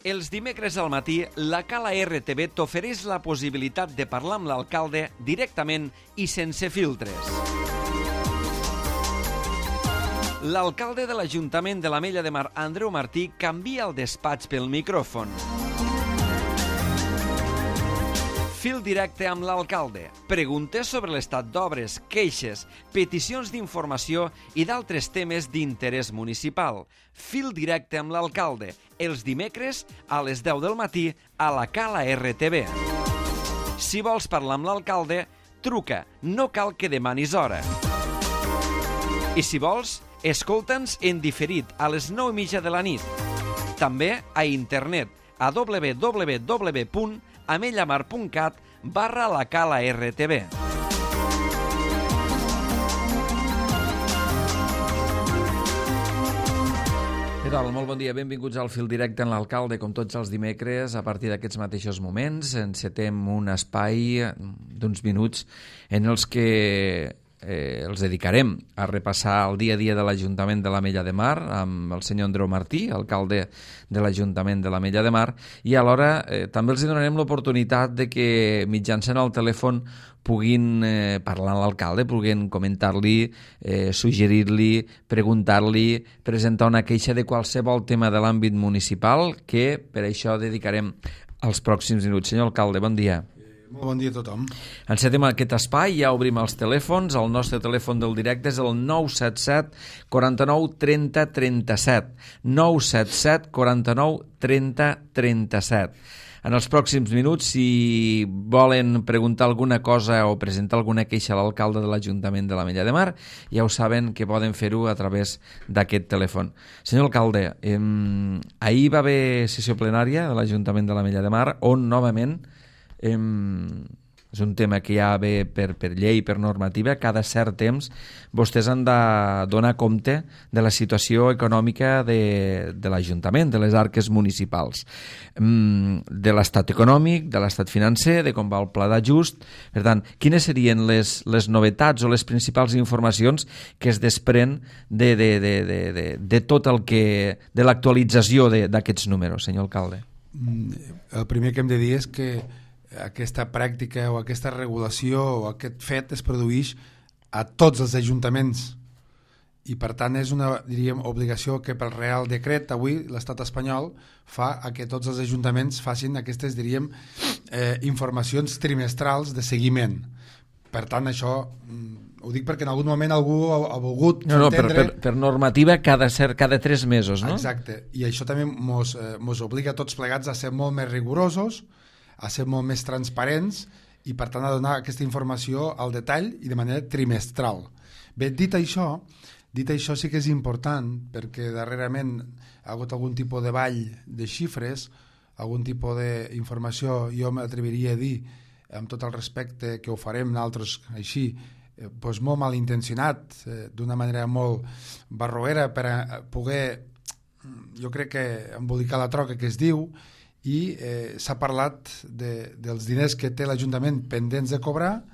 Els dimecres al matí, la Cala RTV t'ofereix la possibilitat de parlar amb l'alcalde directament i sense filtres. L'alcalde de l'Ajuntament de l'Ametlla de Mar, Andreu Martí, canvia el despatx pel micròfon. Fil directe amb l'alcalde. Preguntes sobre l'estat d'obres, queixes, peticions d'informació i d'altres temes d'interès municipal. Fil directe amb l'alcalde. Els dimecres a les 10 del matí a la Cala RTV. Si vols parlar amb l'alcalde, truca. No cal que demanis hora. I si vols, escolta'ns en diferit a les 9:30 de la nit. També a internet a www.amellamar.cat/la Cala RTV. Què tal? Molt bon dia, benvinguts al Fil Directe en l'alcalde. Com tots els dimecres, a partir d'aquests mateixos moments, encetem un espai d'uns minuts en els que els dedicarem a repassar el dia a dia de l'Ajuntament de l'Ametlla de Mar amb el senyor Andreu Martí, alcalde de l'Ajuntament de l'Ametlla de Mar, i alhora també els donarem l'oportunitat de que mitjançant el telèfon puguin parlar amb l'alcalde, puguin comentar-li, suggerir-li, preguntar-li, presentar una queixa de qualsevol tema de l'àmbit municipal, que per això dedicarem els pròxims minuts. Senyor alcalde, bon dia. Molt bon dia a tothom. Encetem aquest espai, ja obrim els telèfons. El nostre telèfon del directe és el 977 49 30 37. 977 49 30 37. En els pròxims minuts, si volen preguntar alguna cosa o presentar alguna queixa a l'alcalde de l'Ajuntament de l'Ametlla de Mar, ja ho saben que poden fer-ho a través d'aquest telèfon. Senyor alcalde, ahir va haver sessió plenària de l'Ajuntament de l'Ametlla de Mar, on novament és un tema que ja ve per llei, per normativa, cada cert temps vostès han de donar compte de la situació econòmica de l'Ajuntament, de les arques municipals, de l'estat econòmic, de l'estat financer, de com va el pla d'ajust. Per tant, quines serien les novetats o les principals informacions que es desprèn de tot el que, de l'actualització d'aquests números, senyor alcalde? El primer que hem de dir és que aquesta pràctica o aquesta regulació o aquest fet es produeix a tots els ajuntaments i per tant és una, diríem, obligació que pel Real Decret avui l'estat espanyol fa a que tots els ajuntaments facin aquestes, diríem, informacions trimestrals de seguiment. Per tant, això ho dic perquè en algun moment algú ha volgut entendre... Per normativa cada 3 mesos, no? Exacte, i això també mos obliga a tots plegats a ser molt més rigorosos, a ser molt més transparents i per tant a donar aquesta informació al detall i de manera trimestral. Bé, dit això sí que és important perquè darrerament ha hagut algun tipus de ball de xifres, algun tipus d'informació, jo m'atreviria a dir amb tot el respecte que ho farem nosaltres així, doncs molt malintencionat, d'una manera molt barroera per a poder, jo crec que embolicar la troca que es diu, i s'ha parlat dels diners que té l'Ajuntament pendents de cobrar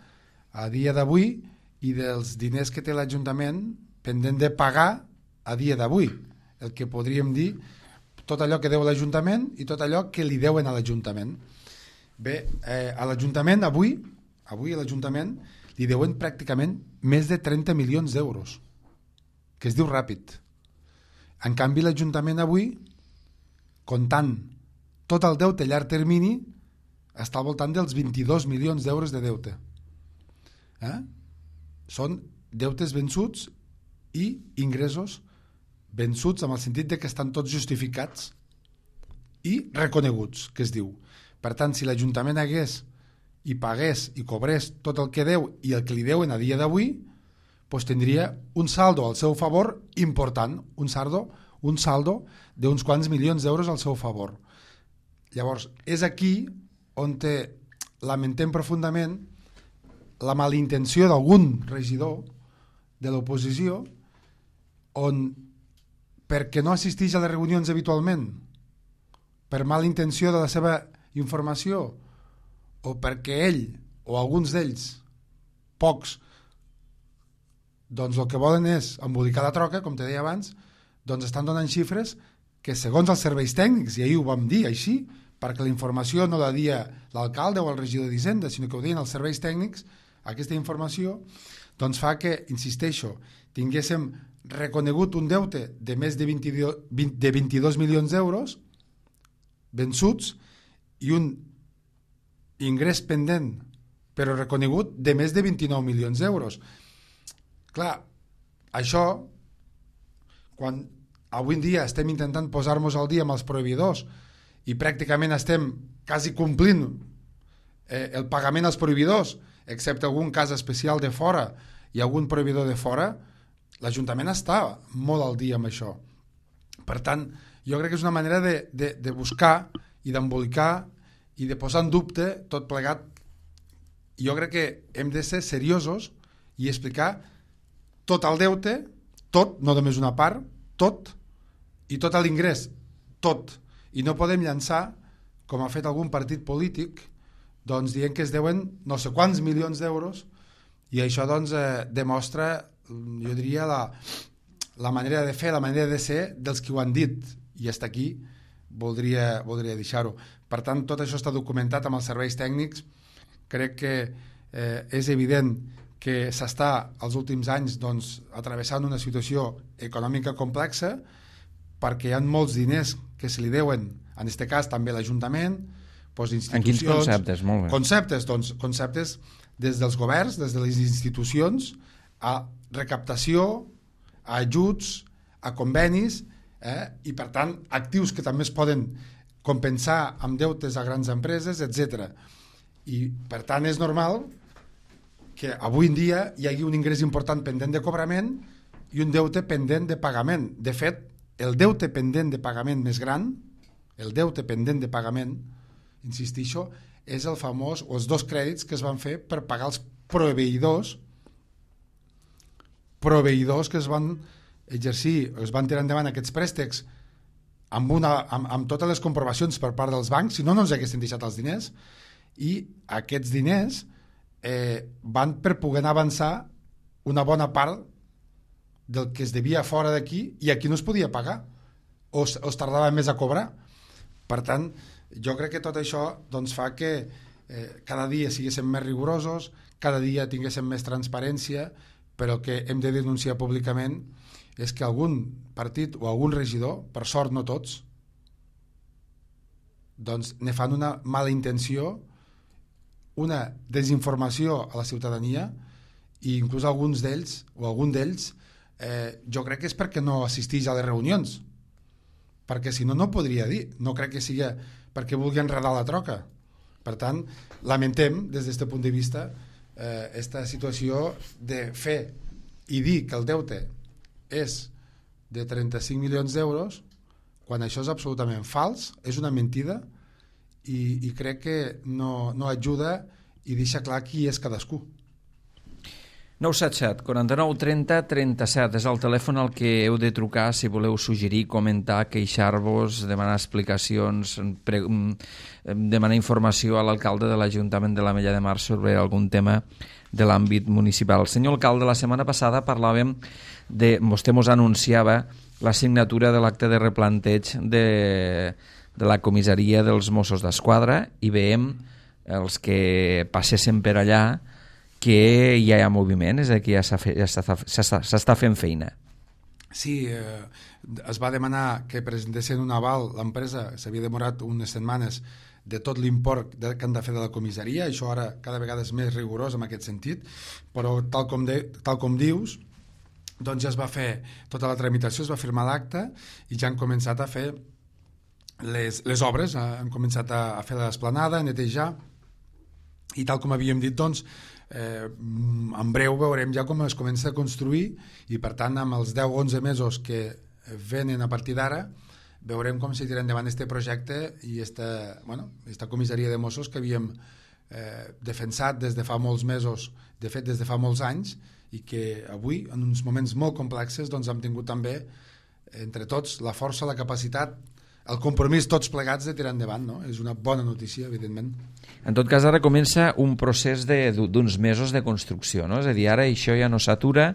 a dia d'avui i dels diners que té l'Ajuntament pendent de pagar a dia d'avui, el que podríem dir tot allò que deu l'Ajuntament i tot allò que li deuen a l'Ajuntament. Bé, a l'Ajuntament avui a l'Ajuntament li deuen pràcticament més de 30 milions d'euros, que es diu ràpid. En canvi l'Ajuntament avui, comptant tot el deute a llarg termini, està al voltant dels 22 milions d'euros de deute. Són deutes vençuts i ingressos vençuts en el sentit de que estan tots justificats i reconeguts, que es diu. Per tant, si l'Ajuntament hagués i pagués i cobrés tot el que deu i el que li deuen a dia d'avui, doncs tindria un saldo al seu favor important, un saldo d'uns quants milions d'euros al seu favor. Llavors, és aquí on lamentem profundament la malintenció d'algun regidor de l'oposició on, perquè no assisteix a les reunions habitualment, per mala intenció de la seva informació o perquè ell o alguns d'ells, pocs, doncs el que volen és embolicar la troca, com te deia abans, doncs estan donant xifres que segons els serveis tècnics, i ahir ho vam dir així, perquè la informació no la dia l'alcalde o el regidor d'Hisenda, sinó que ho deien els serveis tècnics, aquesta informació doncs fa que, insisteixo, tinguéssim reconegut un deute de més de 22 milions d'euros vençuts i un ingrés pendent però reconegut de més de 29 milions d'euros. Clar, això, quan avui en dia estem intentant posar-nos al dia amb els proveïdors i pràcticament estem quasi complint el pagament als proveïdors, excepte algun cas especial de fora i algun proveïdor de fora, l'Ajuntament està molt al dia amb això. Per tant, jo crec que és una manera de buscar i d'embolicar i de posar en dubte tot plegat. Jo crec que hem de ser seriosos i explicar tot el deute, tot, no només una part, tot, i tot l'ingrés, tot. I no podem llançar, com ha fet algun partit polític, doncs dient que es deuen no sé quants milions d'euros, i això doncs demostra, jo diria, la manera de fer, la manera de ser dels qui ho han dit, i fins aquí voldria deixar-ho. Per tant, tot això està documentat amb els serveis tècnics. Crec que és evident que s'està els últims anys doncs, atravessant una situació econòmica complexa perquè hi ha molts diners que se li deuen, en aquest cas també l'Ajuntament, doncs, institucions... En quins conceptes? Molt bé. Conceptes des dels governs, des de les institucions, a recaptació, a ajuts, a convenis, i per tant actius que també es poden compensar amb deutes a grans empreses, etc. I per tant és normal que avui en dia hi hagi un ingrés important pendent de cobrament i un deute pendent de pagament. De fet, el deute pendent de pagament més gran, el deute pendent de pagament, insistixo, és el famós, o els dos crèdits que es van fer per pagar els proveïdors que es van exercir, es van tirar endavant aquests préstecs amb totes les comprovacions per part dels bancs, si no, no ens haguessin deixat els diners, i aquests diners van per poder avançar una bona part del que es devia fora d'aquí i aquí no es podia pagar o es tardava més a cobrar. Per tant, jo crec que tot això doncs, fa que cada dia siguéssim més rigorosos, cada dia tinguéssim més transparència, però que hem de denunciar públicament és que algun partit o algun regidor, per sort no tots, doncs ne fan una mala intenció, una desinformació a la ciutadania, i inclús alguns d'ells o algun d'ells jo crec que és perquè no assisteix a les reunions, perquè si no, no podria dir, no crec que sigui perquè vulgui enredar la troca. Per tant, lamentem des d'aquest punt de vista aquesta situació de fer i dir que el deute és de 35 milions d'euros quan això és absolutament fals, és una mentida i crec que no ajuda i deixa clar qui és cadascú. 977 49 30 37 és el telèfon al que heu de trucar si voleu suggerir, comentar, queixar-vos, demanar explicacions, demanar informació a l'alcalde de l'Ajuntament de l'Ametlla de Mar sobre algun tema de l'àmbit municipal. Senyor alcalde, la setmana passada parlàvem vostè mos anunciava la signatura de l'acte de replanteig de la comissaria dels Mossos d'Esquadra i veiem els que passessin per allà que ja hi ha moviment, és a dir, que ja s'està fent feina. Sí, es va demanar que presentessin un aval, l'empresa s'havia demorat unes setmanes de tot l'import que han de fer de la comissaria, això ara cada vegada és més rigorós en aquest sentit, però tal com dius, doncs ja es va fer tota la tramitació, es va firmar l'acte i ja han començat a fer les obres, han començat a fer l'esplanada, a netejar, i tal com havíem dit, doncs, en breu veurem ja com es comença a construir i per tant amb els 10-11 mesos que venen a partir d'ara veurem com se tira endavant aquest projecte i esta comissaria de Mossos que havíem defensat des de fa molts mesos, de fet des de fa molts anys, i que avui en uns moments molt complexes doncs hem tingut també entre tots la força, la capacitat, el compromís tots plegats de tirar endavant, no? És una bona notícia, evidentment. En tot cas, ara comença un procés d'uns mesos de construcció, no? És a dir, ara això ja no s'atura,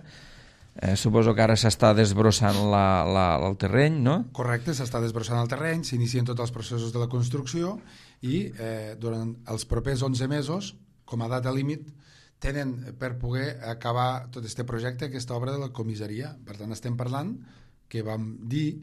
Suposo que ara s'està desbrossant el terreny, no? Correcte, s'està desbrossant el terreny, s'inicien tots els processos de la construcció i durant els propers 11 mesos, com a data límit, tenen per poder acabar tot aquest projecte, aquesta obra de la comissaria. Per tant, estem parlant que vam dir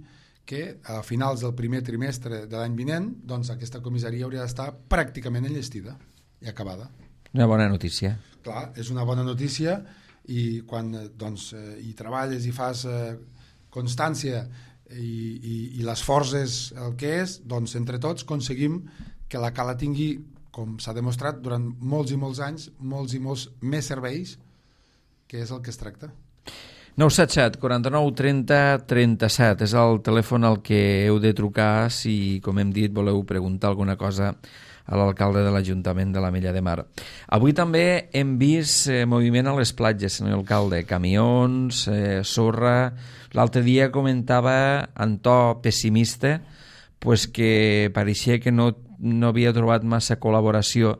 que a finals del primer trimestre de l'any vinent doncs aquesta comissaria hauria d'estar pràcticament enllestida i acabada. Una bona notícia. Clar, és una bona notícia i quan doncs, hi treballes i fas constància i l'esforç és el que és, doncs entre tots aconseguim que la cala tingui, com s'ha demostrat durant molts i molts anys, molts i molts més serveis, que és el que es tracta. 977 49 30 37 és el telèfon al que heu de trucar si, com hem dit, voleu preguntar alguna cosa a l'alcalde de l'Ajuntament de l'Ametlla de Mar. Avui també hem vist moviment a les platges, senyor alcalde, camions, sorra. L'altre dia comentava en to pessimista pues que pareixia que no havia trobat massa col·laboració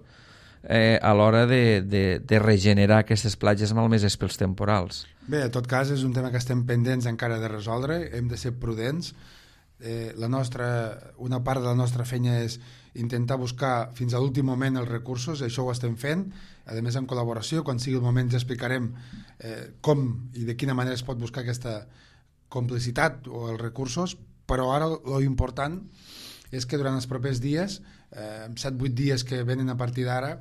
a l'hora de regenerar aquestes platges malmeses pels temporals. Bé, en tot cas és un tema que estem pendents encara de resoldre, hem de ser prudents. Una part de la nostra feina és intentar buscar fins a l'últim moment els recursos, això ho estem fent, a més en col·laboració, quan sigui el moment ja explicarem com i de quina manera es pot buscar aquesta complicitat o els recursos, però ara l'important és que durant els propers dies, 7-8 dies que venen a partir d'ara,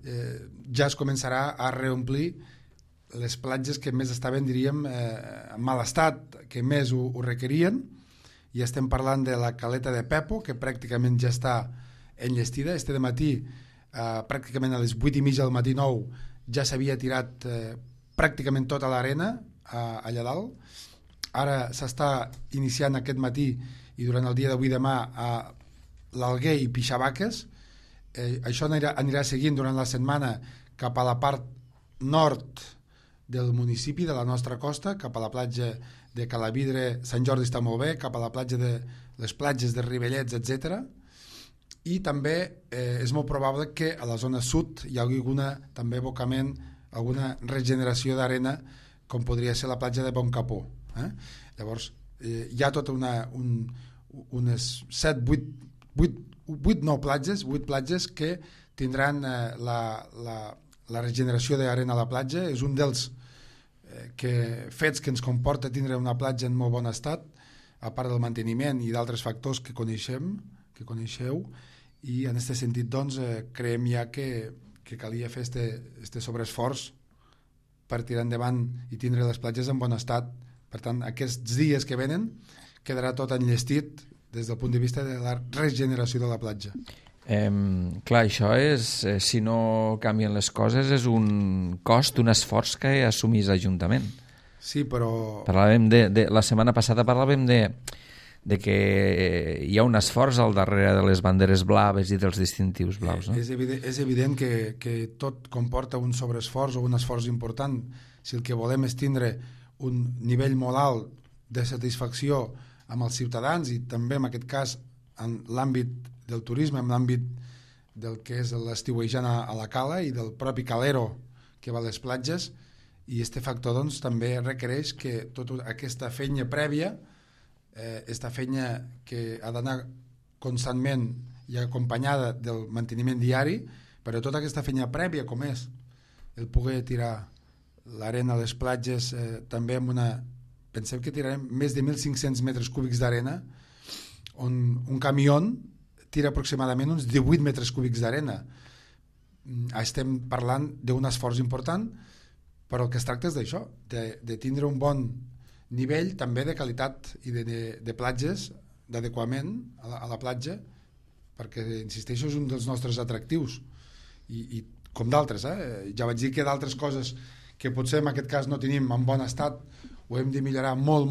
ja es començarà a reomplir les platges que més estaven, diríem, en mal estat, que més ho requerien, i estem parlant de la caleta de Pepo, que pràcticament ja està enllestida. Este dematí, pràcticament a les 8:30 del matí 9, ja s'havia tirat pràcticament tota l'arena allà dalt. Ara s'està iniciant aquest matí i durant el dia d'avui demà a l'Alguer i Pixabaques. Això anirà seguint durant la setmana cap a la part nord del municipi, de la nostra costa, cap a la platja de Calavidre. Sant Jordi està molt bé, cap a la platja de les platges de Rivellets, etc. I també és molt probable que a la zona sud hi hagi també abocament, alguna regeneració d'arena, com podria ser la platja de Boncapó. Llavors hi ha tota unes 8 platges que tindran la regeneració d'arena a la platja. És un dels fets que ens comporta tindre una platja en molt bon estat, a part del manteniment i d'altres factors que coneixeu, i en aquest sentit doncs, creiem ja que calia fer este sobreesforç per tirar endavant i tindre les platges en bon estat. Per tant, aquests dies que venen quedarà tot enllestit des del punt de vista de la regeneració de la platja. Clar, això és, si no canvien les coses, és un cost, un esforç que assumís l'Ajuntament. Sí, però... La setmana passada parlàvem de que hi ha un esforç al darrere de les banderes blaves i dels distintius blaus, no? És evident que tot comporta un sobreesforç o un esforç important. Si el que volem és tindre un nivell molt alt de satisfacció amb els ciutadans i també en aquest cas en l'àmbit del turisme, en l'àmbit del que és l'estiuejant a la cala i del propi calero que va a les platges, i este factor doncs, també requereix que tota aquesta feina prèvia, aquesta feina que ha d'anar constantment i acompanyada del manteniment diari, però tota aquesta feina prèvia com és el poder tirar l'arena a les platges, també amb pensem que tirarem més de 1.500 metres cúbics d'arena, on un camió tira aproximadament uns 18 metres cúbics d'arena. Estem parlant d'un esforç important, però el que es tracta és d'això, de tindre un bon nivell també de qualitat i de platges, d'adequament a la platja, perquè, insisteixo, és un dels nostres atractius, i com d'altres. Ja vaig dir que d'altres coses que potser en aquest cas no tenim en bon estat ho hem de millorar molt,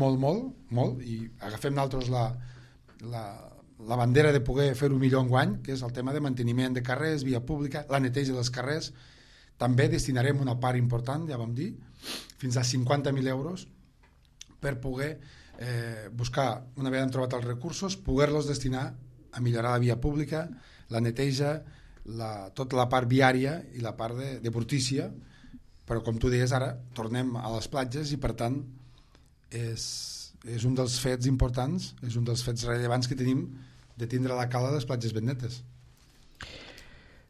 i agafem nosaltres la bandera de poder fer-ho millor enguany, que és el tema de manteniment de carrers, via pública, la neteja dels carrers. També destinarem una part important, ja vam dir, fins a 50.000 euros per poder buscar, una vegada hem trobat els recursos, poder-los destinar a millorar la via pública, la neteja, tota la part viària i la part de brutícia. Però com tu deies, ara tornem a les platges i per tant és un dels fets importants, és un dels fets rellevants que tenim de tindre la cala a les platges ben netes.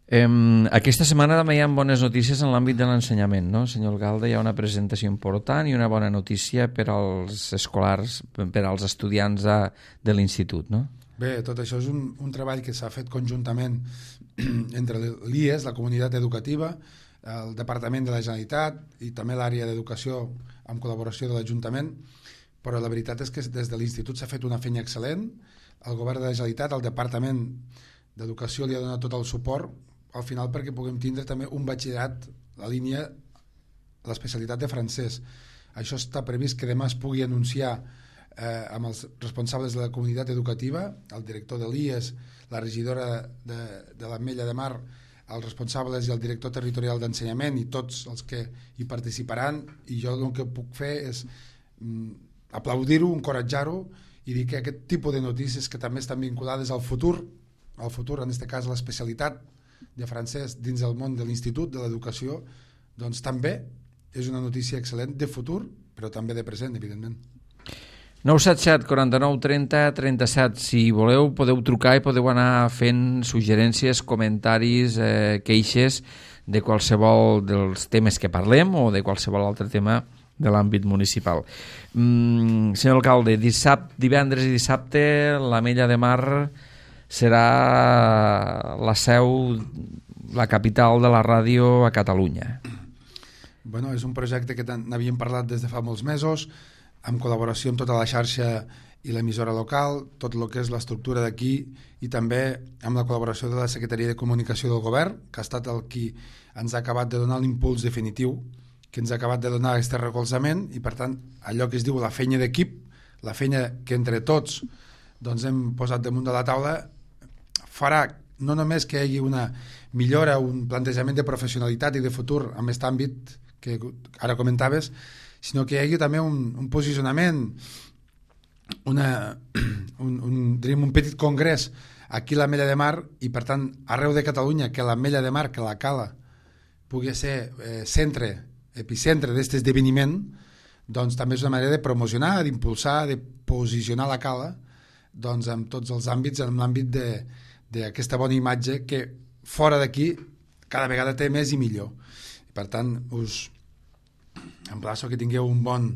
Aquesta setmana també hi ha bones notícies en l'àmbit de l'ensenyament, no? Senyor Alcalde, hi ha una presentació important i una bona notícia per als escolars, per als estudiants de l'institut, no? Bé, tot això és un treball que s'ha fet conjuntament entre l'IES, la comunitat educativa, el Departament de la Generalitat i també l'àrea d'educació amb col·laboració de l'Ajuntament, però la veritat és que des de l'institut s'ha fet una feina excel·lent, el govern de la Generalitat, el Departament d'Educació li ha donat tot el suport al final perquè puguem tindre també un batxillerat, la línia, l'especialitat de francès. Això està previst que demà es pugui anunciar amb els responsables de la comunitat educativa, el director de l'IES, la regidora de l'Ametlla de Mar, els responsables i el director territorial d'ensenyament i tots els que hi participaran, i jo el que puc fer és aplaudir-ho, encoratjar-ho i dir que aquest tipus de notícies que també estan vinculades al futur, en aquest cas l'especialitat de francès dins del món de l'institut, de l'educació, doncs també és una notícia excel·lent de futur, però també de present, evidentment. 977 49 30 37. Si voleu, podeu trucar i podeu anar fent suggerències, comentaris, queixes de qualsevol dels temes que parlem o de qualsevol altre tema de l'àmbit municipal. Senyor alcalde, divendres i dissabte l'Ametlla de Mar serà la seu, la capital de la ràdio a Catalunya. Bueno, és un projecte que n'havíem parlat des de fa molts mesos, amb col·laboració amb tota la xarxa i l'emissora local, tot el que és l'estructura d'aquí i també amb la col·laboració de la Secretaria de Comunicació del Govern, que ha estat el qui ens ha acabat de donar l'impuls definitiu, que ens ha acabat de donar aquest recolzament i, per tant, allò que es diu la feina d'equip, la feina que entre tots doncs, hem posat damunt de la taula, farà no només que hi hagi una millora, un plantejament de professionalitat i de futur en aquest àmbit que ara comentaves, sinó que hi hagi també un posicionament, diríem un petit congrés aquí a l'Ametlla de Mar i per tant arreu de Catalunya, que l'Ametlla de Mar, que la cala pugui ser epicentre d'aquest esdeveniment, doncs també és una manera de promocionar, d'impulsar, de posicionar la cala doncs en tots els àmbits, en l'àmbit d'aquesta bona imatge que fora d'aquí cada vegada té més i millor. Per tant, us emplaço que tingueu un bon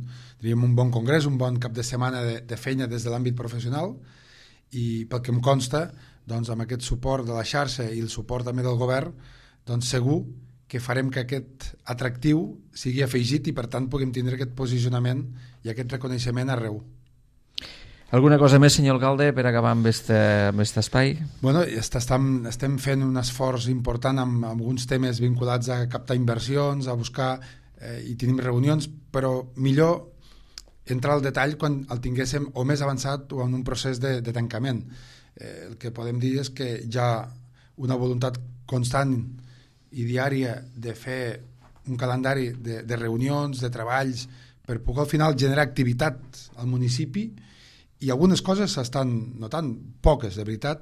congrés, un bon cap de setmana de feina des de l'àmbit professional i pel que em consta, doncs amb aquest suport de la xarxa i el suport també del govern, doncs segur que farem que aquest atractiu sigui afegit i per tant puguem tindre aquest posicionament i aquest reconeixement arreu. Alguna cosa més, senyor alcalde, per acabar amb aquest espai? Bueno, estem fent un esforç important amb alguns temes vinculats a captar inversions, a buscar i tenim reunions, però millor entrar al detall quan el tinguéssim o més avançat o en un procés de tancament. El que podem dir és que hi ha una voluntat constant i diària de fer un calendari de reunions, de treballs, per poder al final generar activitat al municipi i algunes coses s'estan notant, poques de veritat,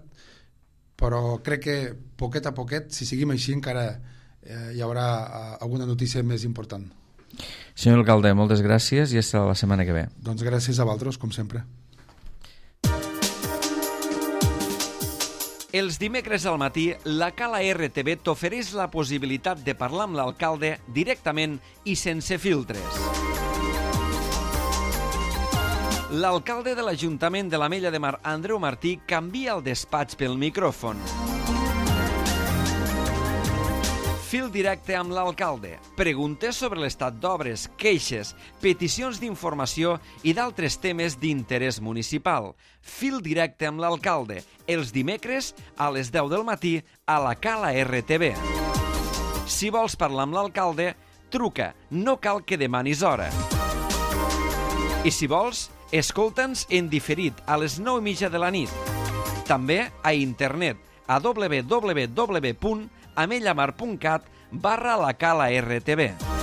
però crec que poquet a poquet, si seguim així encara hi haurà alguna notícia més important. Senyor alcalde, moltes gràcies i fins la setmana que ve. Doncs gràcies a vosaltres, com sempre. Els dimecres al matí, la Cala RTV t'ofereix la possibilitat de parlar amb l'alcalde directament i sense filtres. L'alcalde de l'Ajuntament de l'Ametlla de Mar, Andreu Martí, canvia el despatx pel micròfon. Fil directe amb l'alcalde. Preguntes sobre l'estat d'obres, queixes, peticions d'informació i d'altres temes d'interès municipal. Fil directe amb l'alcalde. Els dimecres a les 10 del matí a la Cala RTV. Si vols parlar amb l'alcalde, truca. No cal que demanis hora. I si vols, escolta'ns en diferit a les 9:30 de la nit. També a internet a www.amellamar.cat/la Cala RTV.